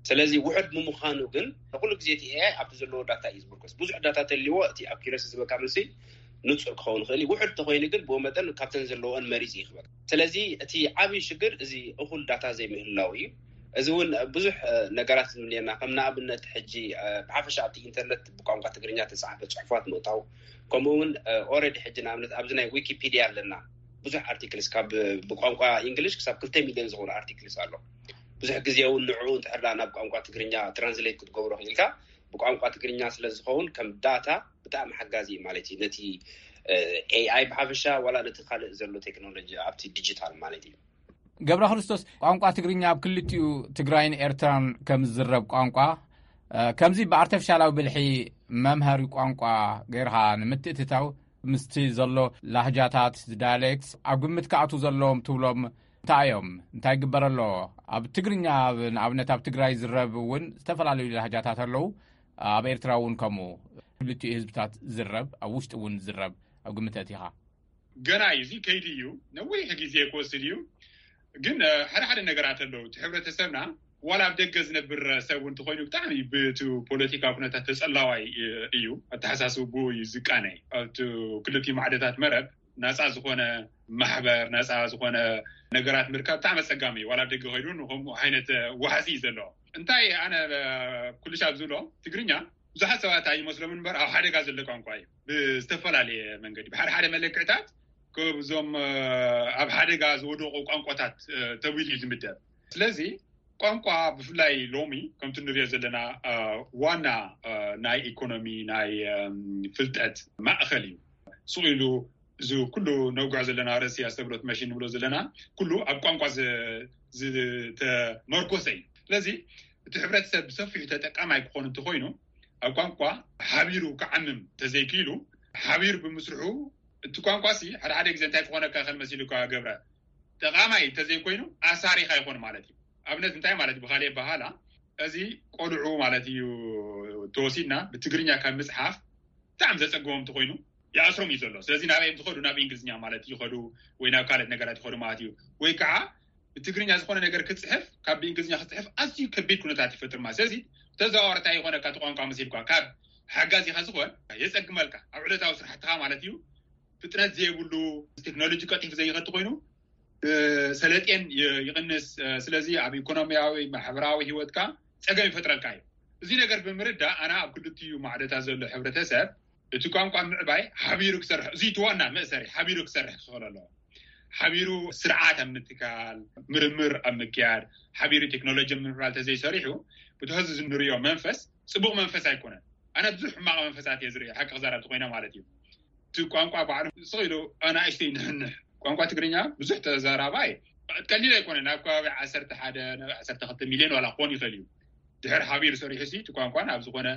ስለዚ ውሑድ ብምዃኑ ግን ንኩሉ ግዜ እቲ ኤኣይ ኣብቲ ዘለዎ ዳታ እዩ ዝምርኮስ። ብዙሕ ዳታ ተልዎ እቲ ኣኪረሲ ዝበካ መልሲ ንጹር ክኸውን ይኽእል እዩ። ውሑድ ተኮይኑ ግን ብኡ መጠን ካብተን ዘለዎን መሪጽ ይኽበካ። ስለዚ እቲ ዓብዪ ሽግር እዚ እኹል ዳታ ዘይምህላው እዩ። እዚ እውን ብዙሕ ነገራት ንብልየና፣ ከም ንኣብነት ሕጂ ብሓፈሻ ኣብቲ ኢንተርነት ብቋንቋ ትግርኛ ተጻሕፈ ጽሑፋት ምእታው፣ ከምኡ እውን ኦረዲ ሕጂ ንኣብነት ኣብዚ ናይ ዊኪፒድያ ኣለና፣ ብዙሕ ኣርቲክልስ ካብ ብቋንቋ ኢንግሊሽ ክሳብ ክልተ ሚልዮን ዝኾኑ ኣርቲክልስ ኣሎ። ብዙሕ ግዜ እውን ንዕኡ እንድሕር ናብ ቋንቋ ትግርኛ ትራንስሌት ክትገብሮ ክኢልካ፣ ብቋንቋ ትግርኛ ስለ ዝኸውን ከም ዳታ ብጣዕሚ ሓጋዚ እዩ ማለት እዩ፣ ነቲ ኤኣይ ብሓፈሻ ዋላ ነቲ ካልእ ዘሎ ቴክኖሎጂ ኣብቲ ዲጂታል ማለት እዩ። ገብረ ክርስቶስ፣ ቋንቋ ትግርኛ ኣብ ክልቲኡ ትግራይን ኤርትራን ከም ዝዝረብ ቋንቋ፣ ከምዚ ብኣርተፊሻላዊ ብልሒ መምሃሪ ቋንቋ ጌርካ ንምትእትታው፣ ምስቲ ዘሎ ላህጃታት፣ ዳያሌክትስ ኣብ ግምት ክኣትዉ ዘለዎም ትብሎም እንታይ እዮም? እንታይ ይግበር ኣሎ? ኣብ ትግርኛ፣ ንኣብነት ኣብ ትግራይ ዝረብ እውን ዝተፈላለዩ ላህጃታት ኣለዉ። ኣብ ኤርትራ እውን ከምኡ፣ ክልቲኡ ህዝብታት ዝረብ፣ ኣብ ውሽጢ እውን ዝረብ ኣብ ግምት ኣእቲኻ? ገና እዩ፣ እዚ ከይዲ እዩ፣ ነዊሕ ግዜ ክወስድ እዩ። ግን ሓደ ሓደ ነገራት ኣለዉ። እቲ ሕብረተሰብና ዋላ ኣብ ደገ ዝነብር ሰብ እውን እንተኾይኑ ብጣዕሚ ብቲ ፖለቲካዊ ኩነታት ተጸላዋይ እዩ። ኣተሓሳስብኡ እዩ ዝቃነ። ኣብቲ ክልቲኡ ማዕደታት መረብ ናጻ ዝኾነ ማሕበር፣ ናጻ ዝኾነ ነገራት ምርካብ ብጣዕሚ ኣጸጋሚ እዩ። ዋላ ኣብ ደገ ከይዱ ንከምኡ ዓይነት ዋሕዚ እዩ ዘለዎ። እንታይ ኣነ ኩልሻብ ዝብሎ፣ ትግርኛ ብዙሓት ሰባት ኣይመስሎም እምበር ኣብ ሓደጋ ዘሎ ቋንቋ እዩ። ብዝተፈላለየ መንገዲ፣ ብሓደ ሓደ መለክዕታት ከብዞም ኣብ ሓደጋ ዝወደቑ ቋንቋታት ተቢሉ እዩ ዝምደብ። ስለዚ ቋንቋ ብፍላይ ሎሚ ከምቲ ንሪኦ ዘለና ዋና ናይ ኢኮኖሚ፣ ናይ ፍልጠት ማእኸል እዩ። ስቕ ኢሉ እዚ ኩሉ ነውግዖ ዘለና ርእሲ ኣስተብሎት መሽን ንብሎ ዘለና ኩሉ ኣብ ቋንቋ ዝተመርኮሰ እዩ። ስለዚ እቲ ሕብረተሰብ ብሰፊሑ ተጠቃማይ ክኾን እንተኾይኑ፣ ኣብ ቋንቋ ሓቢሩ ክዓምም ተዘይክኢሉ፣ ሓቢሩ ብምስርሑ፣ እቲ ቋንቋ ሲ ሓደ ሓደ ግዜ እንታይ ክኾነካ ይኽእል መሲሉ እኳ ገብረ፣ ጠቓማይ እንተዘይኮይኑ ኣሳሪኻ ይኾን ማለት እዩ። ኣብነት እንታይ ማለት እዩ? ብኻልእ ኣበሃህላ፣ እዚ ቆልዑ ማለት እዩ ተወሲድና ብትግርኛ ካብ ምጽሓፍ ብጣዕሚ ዘጸግቦም እንተኾይኑ ይኣስሮም እዩ ዘሎ። ስለዚ ናበይ እዮም ዝኸዱ? ናብ እንግሊዝኛ ማለት ይኸዱ ወይ ናብ ካልኦት ነገራት ይኸዱ ማለት እዩ። ወይ ከዓ ብትግርኛ ዝኾነ ነገር ክጽሕፍ፣ ካብ ብእንግሊዝኛ ክጽሕፍ ኣዝዩ ከቢድ ኩነታት ይፈጥር ማለት። ስለዚ ተዘዋዋሪ እንታይ ይኾነካ? እቲ ቋንቋ መሲልኳ ካብ ሓጋዚኻ ዝኾን የጸግመልካ ኣብ ዕለታዊ ስራሕትኻ ማለት እዩ። ፍጥነት ዘይብሉ፣ ቴክኖሎጂ ቀልጢፉ ዘይኸድ ኮይኑ ሰለጤን ይቕንስ። ስለዚ ኣብ ኢኮኖሚያዊ ማሕበራዊ ህይወትካ ጸገም ይፈጥረልካ እዩ። እዚ ነገር ብምርዳእ ኣና ኣብ ክልቲኡ ማዕደታት ዘሎ ሕብረተሰብ እቲ ቋንቋ ምዕባይ ሓቢሩ ክሰርሕ፣ እዚ እቲ ዋና መእሰሪ ሓቢሩ ክሰርሕ ክኽእል ኣለዎ። ሓቢሩ ስርዓት ኣብ ምትካል፣ ምርምር ኣብ ምክያድ፣ ሓቢሩ ቴክኖሎጂ ኣብ ምምዕባል ተዘይሰሪሑ፣ ብትሕዚ ዝንሪኦ መንፈስ ጽቡቕ መንፈስ ኣይኮነን። ኣነ ብዙሕ ሕማቕ መንፈሳት እየ ዝርኢ፣ ሓቂ ክዛረብ ተኮይነ ማለት እዩ። እቲ ቋንቋ ባዕሉ ስቕ ኢሉ ኣናእሽተይ ንሕንሕ። ቋንቋ ትግርኛ ብዙሕ ተዛራባይ ቀሊል ኣይኮነን። ኣብ ከባቢ ዓሰርተ ሓደ ናብ ዓሰርተ ክልተ ሚልዮን ዋላ ክኾን ይኽእል እዩ። ድሕር ሓቢር ሰሪሑ ሲ እቲ ቋንቋ ናብ ዝኾነ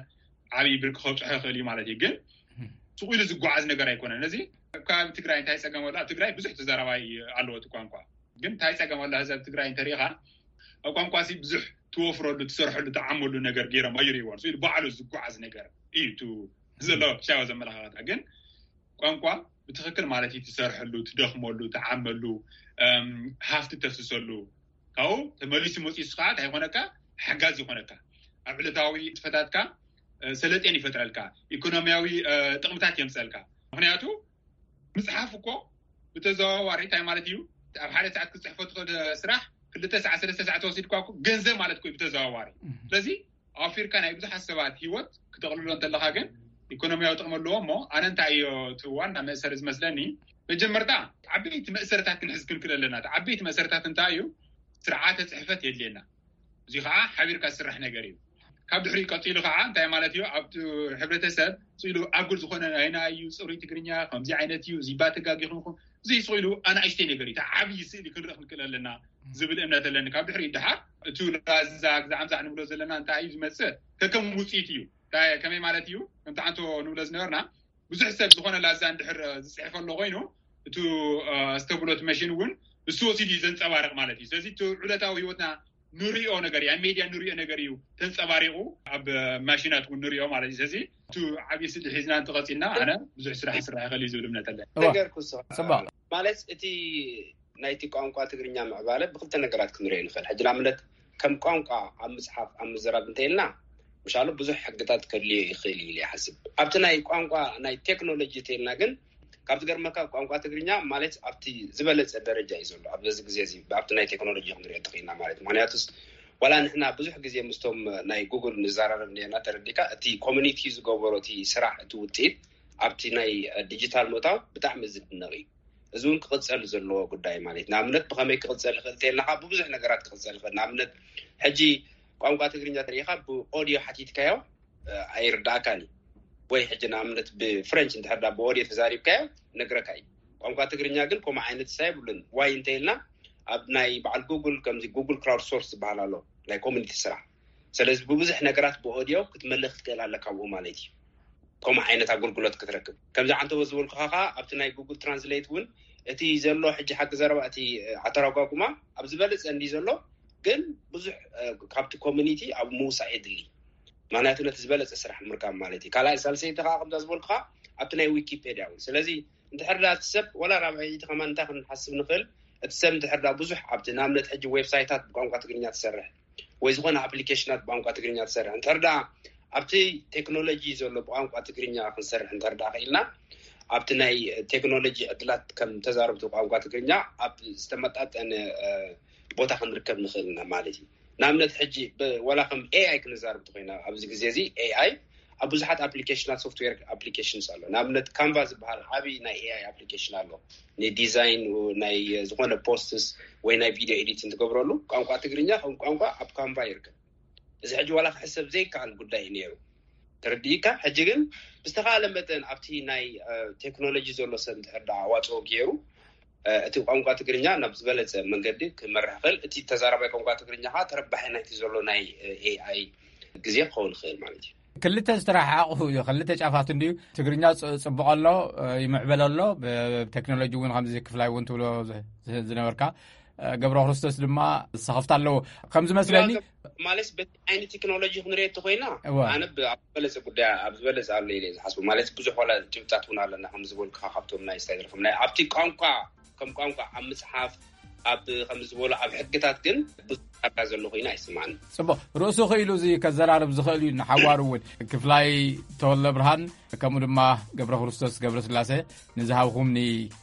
ዓብዪ ብርቂ ከብፅሖ ይኽእል እዩ ማለት እዩ። ግን ስቕ ኢሉ ዝጓዓዝ ነገር ኣይኮነን። ነዚ ኣብ ከባቢ ትግራይ እንታይ ፀገም ኣሎ? ኣብ ትግራይ ብዙሕ ተዛራባይ ኣለዎ እቲ ቋንቋ። ግን እንታይ ፀገም ኣሎ? ህዝብ ትግራይ እንተሪኢኻ ኣብ ቋንቋ ሲ ብዙሕ ትወፍረሉ፣ ትሰርሐሉ፣ ትዓመሉ ነገር ገይሮም ኣይርእይዎን። ስቕ ኢሉ ባዕሉ ዝጓዓዝ ነገር እዩ እቲ ዘሎ ሻዋ ዘመላኻኸታ። ግን ቋንቋ ብትኽክል ማለት እዩ ትሰርሐሉ፣ ትደኽመሉ፣ ትዓመሉ፣ እም፣ ሃፍቲ ተፍስሰሉ። ካብኡ ተመሊሱ መፂኡ ከዓ እንታይ ይኾነካ? ሓጋዚ ይኾነካ። ኣብ ዕለታዊ ንጥፈታትካ፣ እ፣ ሰለጤን ይፈጥረልካ። ኢኮኖሚያዊ፣ እ፣ ጥቕምታት የምፀልካ። ምኽንያቱ ምፅሓፍ እኮ ብተዘዋዋሪ እንታይ ማለት እዩ? ኣብ ሓደ ሰዓት ክትፅሕፎ ትኽእል ስራሕ ክልተ ሰዓት ሰለስተ ሰዓት ተወሲድኳ እኮ ገንዘብ ማለት እኮ እዩ ብተዘዋዋሪ። ስለዚ ኣውፊርካ ናይ ብዙሓት ሰባት ህይወት ክተቕልሎ እንተለኻ ግን ኢኮኖሚያዊ ጥቕሚ ኣለዎ። እሞ ኣነ እንታይ እዮ እቲ ዋና መእሰሪ ዝመስለኒ፣ መጀመርታ ዓበይቲ መእሰርታት ክንሕዝ ክንክእል ኣለና። እቲ ዓበይቲ መእሰርታት እንታይ እዩ? ስርዓተ ፅሕፈት የድልየና። እዚ ከዓ ሓቢርካ ዝስራሕ ነገር እዩ። ካብ ድሕሪኡ ቀፂሉ ከዓ እንታይ ማለት እዩ? ኣብቲ ሕብረተሰብ ስኢሉ ኣጉል ዝኾነ ናይና እዩ፣ ፅሩይ ትግርኛ ከምዚ ዓይነት እዩ፣ እዚ ባተጋጊኹም እዚ ስኢሉ ኣናእሽተይ ነገር እዩ። እቲ ዓብዪ ስእሊ ክንርኢ ክንክእል ኣለና ዝብል እምነት ኣለኒ። ካብ ድሕሪኡ ድሓር እቲ ላዛ ግዛዕ ምዛዕ ንብሎ ዘለና እንታይ እዩ ዝመፅእ? ከከም ውፅኢት እዩ። እንታይ፣ ከመይ ማለት እዩ? ከምቲ ዓንቶ ንብሎ ዝነበርና ብዙሕ ሰብ ዝኾነ ላዛ እንድሕር ዝፅሕፈ ኣሎ ኮይኑ፣ እቲ ዝተብሎ እቲ መሽን እውን እሱ ወሲዱ እዩ ዘንፀባርቕ ማለት እዩ። ስለዚ እቲ ዕለታዊ ህይወትና ንሪኦ ነገር እዩ፣ ኣብ ሜድያ ንሪኦ ነገር እዩ ተንፀባሪቑ ኣብ ማሽናት እውን ንሪኦ ማለት እዩ። ስለዚ እቲ ዓብዪ ስእሊ ሒዝና እንተቐፂልና ኣነ ብዙሕ ስራሕ ክስራሕ ይኽእል እዩ ዝብል እምነት ኣለኒ። እዋ። ነገር ኩሶ ፅቡቅ። ማለት እቲ ናይቲ ቋንቋ ትግርኛ ምዕባለ ብክልተ ነገራት ክንሪኦ ንኽእል። ሕጂ ንኣብነት ከም ቋንቋ ኣብ ምፅሓፍ ኣብ ምዝራብ እንተኢልና ምሻሉ ብዙሕ ሕግታት ከድልዮ ይኽእል እዩ ኢለ ይሓስብ። ኣብቲ ናይ ቋንቋ ናይ ቴክኖሎጂ እንተኢልና ግን ካብ ዝገርመካ ቋንቋ ትግርኛ ማለት ኣብቲ ዝበለፀ ደረጃ እዩ ዘሎ ኣብዚ ግዜ እዚ ኣብቲ ናይ ቴክኖሎጂ ክንሪኦ እንተኽኢልና ማለት ምክንያቱስ ዋላ ንሕና ብዙሕ ግዜ ምስቶም ናይ ጉግል ንዘራረብ ነርና ተረዲካ እቲ ኮሚኒቲ ዝገበሮ እቲ ስራሕ እቲ ውፅኢት ኣብቲ ናይ ዲጂታል ምእታው ብጣዕሚ ዝድነቕ እዩ። እዚ እውን ክቕፀል ዘለዎ ጉዳይ ማለት ንኣብነት ብኸመይ ክቕፀል ይኽእል እንተኢልና ካብ ብብዙሕ ነገራት ክቕፀል ይኽእል ንኣብነት ሕጂ ቋንቋ ትግርኛ ተሪኢኻ ብኦዲዮ ሓቲትካዮ ኣይርዳእካን እዩ ወይ ሕጂ ንኣብነት ብፍረንች እንድሕር ዳ ብኦዲዮ ተዛሪብካዮ ነግረካ እዩ። ቋንቋ ትግርኛ ግን ከምኡ ዓይነት ሳ የብሉን ዋይ እንተኢልና ኣብ ናይ በዓል ጉግል ከምዚ ጉግል ክራውድ ሶርስ ዝበሃል ኣሎ ናይ ኮሚኒቲ ስራሕ ስለዚ ብብዙሕ ነገራት ብኦዲዮ ክትመልእ ክትክእል ኣለካ ብኡ ማለት እዩ። ከምኡ ዓይነት ኣገልግሎት ክትረክብ ከምዚ ዓንተቦ ዝበልኩኻ ከዓ ኣብቲ ናይ ጉግል ትራንስሌት እውን እቲ ዘሎ ሕጂ ሓቂ ዘረባ እቲ ኣተረጓጉማ ኣብ ዝበለፀ እንዲ ዘሎ ግን ብዙሕ ካብቲ ኮሚኒቲ ኣብ ምውሳእ የድሊ ምክንያቱ ነቲ ዝበለፀ ስራሕ ምርካብ ማለት እዩ ካልኣይ ሳልሰይቲ ከዓ ከምዛ ዝበልኩኻ ኣብቲ ናይ ዊኪፔድያ እውን ስለዚ እንድሕር ዳ እቲ ሰብ ወላ ራብዐይቲ ከማን እንታይ ክንሓስብ ንኽእል እቲ ሰብ እንድሕር ዳ ብዙሕ ኣብቲ ንኣብነት ሕጂ ዌብሳይታት ብቋንቋ ትግርኛ ትሰርሕ ወይ ዝኾነ ኣፕሊኬሽናት ብቋንቋ ትግርኛ ትሰርሕ እንድሕር ዳ ኣብቲ ቴክኖሎጂ ዘሎ ብቋንቋ ትግርኛ ክንሰርሕ እንድሕር ዳ ክኢልና ኣብቲ ናይ ቴክኖሎጂ ዕድላት ከም ተዛረብቲ ቋንቋ ትግርኛ ኣብ ዝተመጣጠነ ቦታ ክንርከብ ንኽእል ኢና ማለት እዩ ንኣብነት ሕጂ ወላ ከም ኤኣይ ክንዛረብ እንተኮይና ኣብዚ ግዜ እዚ ኤኣይ ኣብ ብዙሓት ኣፕሊኬሽናት ሶፍትዌር ኣፕሊኬሽንስ ኣሎ ንኣብነት ካንቫ ዝበሃል ዓብይ ናይ ኤኣይ ኣፕሊኬሽን ኣሎ ንዲዛይን ናይ ዝኾነ ፖስትስ ወይ ናይ ቪድዮ ኤዲት እንትገብረሉ ቋንቋ ትግርኛ ከም ቋንቋ ኣብ ካንቫ ይርከብ እዚ ሕጂ ዋላ ክሕሰብ ዘይከኣል ጉዳይ እዩ ነይሩ ተረዲእካ ሕጂ ግን ብዝተኻለ መጠን ኣብቲ ናይ ቴክኖሎጂ ዘሎ ሰብ እንድሕር ዳ ኣዋፅኦ ገይሩ እቲ ቋንቋ ትግርኛ ናብ ዝበለፀ መንገዲ ክመርሕ ክእል እቲ ተዛራባይ ቋንቋ ትግርኛ ከዓ ተረባሒ ናይቲ ዘሎ ናይ ኤኣይ ግዜ ክኸውን ይኽእል ማለት እዩ ክልተ ዝተረሓሓቑ እዩ ክልተ ጫፋት እንድዩ ትግርኛ ጽቡቕ ኣሎ ይምዕበል ኣሎ ብቴክኖሎጂ እውን ከምዚ ክፍላይ እውን ትብሎ ዝነበርካ ገብረ ክርስቶስ ድማ ዝሰኸፍታ ኣለዎ ከምዚ መስለኒ ማለት በቲ ዓይነት ቴክኖሎጂ ክንሪኦ እንተኮይና ኣነ ኣብ ዝበለፀ ጉዳይ ኣብ ዝበለፀ ኣሎ ኢለ ዝሓስቡ ማለት ብዙሕ ዋላ ጭብጣት እውን ኣለና ከም ዝበልኩካ ካብቶም ናይ ስታይል ከም ናይ ኣብቲ ቋንቋ ከም ቋንቋ ኣብ ምፅሓፍ ኣብ ከም ዝበሉ ኣብ ሕግታት ግን ብዙሕ ጣጣ ዘሎ ኮይኑ ኣይስማዕን ፅቡቅ ርእሱ ክኢሉ እዚ ከዘራርብ ዝኽእል እዩ ንሓዋሩ እውን ክፍላይ ተወለ ብርሃን ከምኡ ድማ ገብረ ክርስቶስ ገብረ ስላሴ ንዝሃብኹምኒ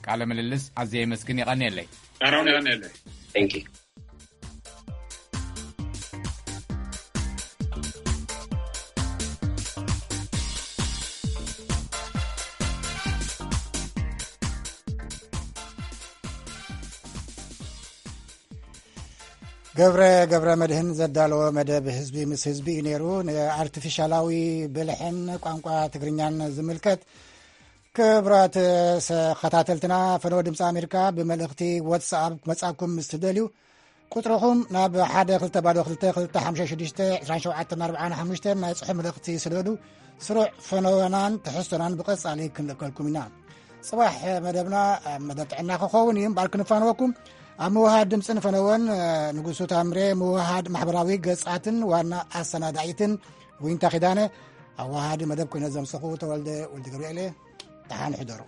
ቃለ ምልልስ ኣዝየ የመስግን የቐንየለይ ኣራውን የቐንየለይ Thank you. ገብረ ገብረ መድህን ዘዳለዎ መደብ ህዝቢ ምስ ህዝቢ እዩ ነይሩ። ንኣርቲፊሻላዊ ብልሕን ቋንቋ ትግርኛን ዝምልከት ክብራት ተኸታተልትና ፈነወ ድምፂ ኣሜሪካ ብመልእኽቲ ዋትስኣፕ ክመፃኩም ምስ ትደልዩ ቁፅርኹም ናብ ሓደ ክልተ ባዶ ክልተ ክልተ ሓምሳ ሽዱሽተ ዕስራን ሸውዓተን ኣርባዓን ሓሙሽተን ናይ ፅሑፍ መልእኽቲ ስደዱ። ስሩዕ ፈነወናን ትሕዝቶናን ብቐፃሊ ክንልእከልኩም ኢና። ፅባሕ መደብና ኣብ መደብ ጥዕና ክኸውን እዩ እምበኣር ክንፋነወኩም ኣብ ምውሃድ ድምፂ ንፈነወን ንጉሱ ታምሬ ምውሃድ ማሕበራዊ ገፃትን ዋና ኣሰናዳኢትን ዊንታ ኪዳነ ኣዋሃዲ መደብ ኮይነ ዘምሰኹ ተወልደ ወልደ ገብርኤል እየ። ደሓን ሕደሩ።